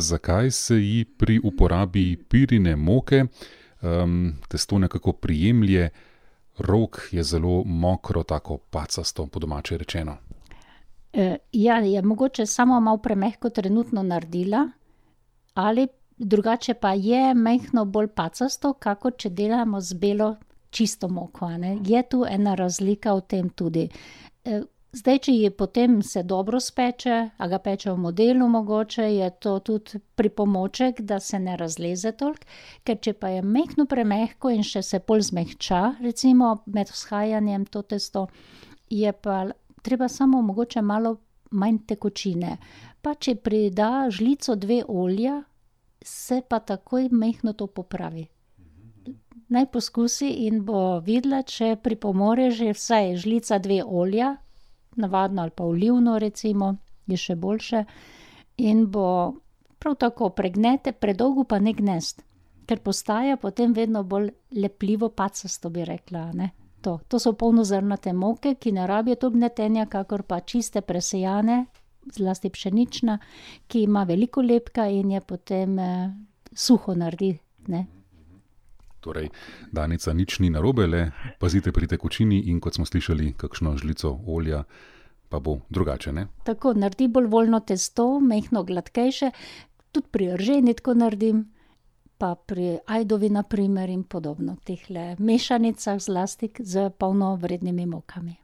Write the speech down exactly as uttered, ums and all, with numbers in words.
Zakaj se ji pri uporabi pirine moke um, testo nekako prijemlje, rok je zelo mokro, tako pacasto, po domače rečeno? E, ja, je mogoče samo malo premehko trenutno naredila, ali drugače pa je mehko bolj pacasto, kakor če delamo z belo čisto moko, a ne. Je tu ena razlika v tem tudi. E, Zdaj, če je potem se dobro speče, a ga peče v modelu mogoče, je to tudi pripomoček, da se ne razleze toliko, ker če pa je mehko premehko in še se pol zmehča, recimo med vzhajanjem to testo, je pa treba samo mogoče malo manj tekočine. Pa če prida žlico dve olja, se pa takoj mehko to popravi. Naj poskusi in bo videla, če pripomore že vsaj žlica dve olja, navadno ali pa olivno recimo, je še boljše, in bo prav tako pregnete, predolgo pa ne gnesti, ker postaja potem vedno bolj lepljivo pacasto, bi rekla, a ne. To, to so polnozrnate moke, ki ne rabijo toliko gnetenja, kakor pa čiste presejane, zlasti pšenična, ki ima veliko lepka in je potem eh, suho naredi, ne. Torej, Danica, nič ni narobe, le pazite pri tekočini in kot smo slišali, kakšno žlico olja pa bo drugače, ne? Tako, naredi bolj voljno testo, mehko gladkejše, tudi pri rženi tako naredim, pa pri ajdovi na primer in podobno, tehle mešanicah zlasti z polnovrednimi mokami.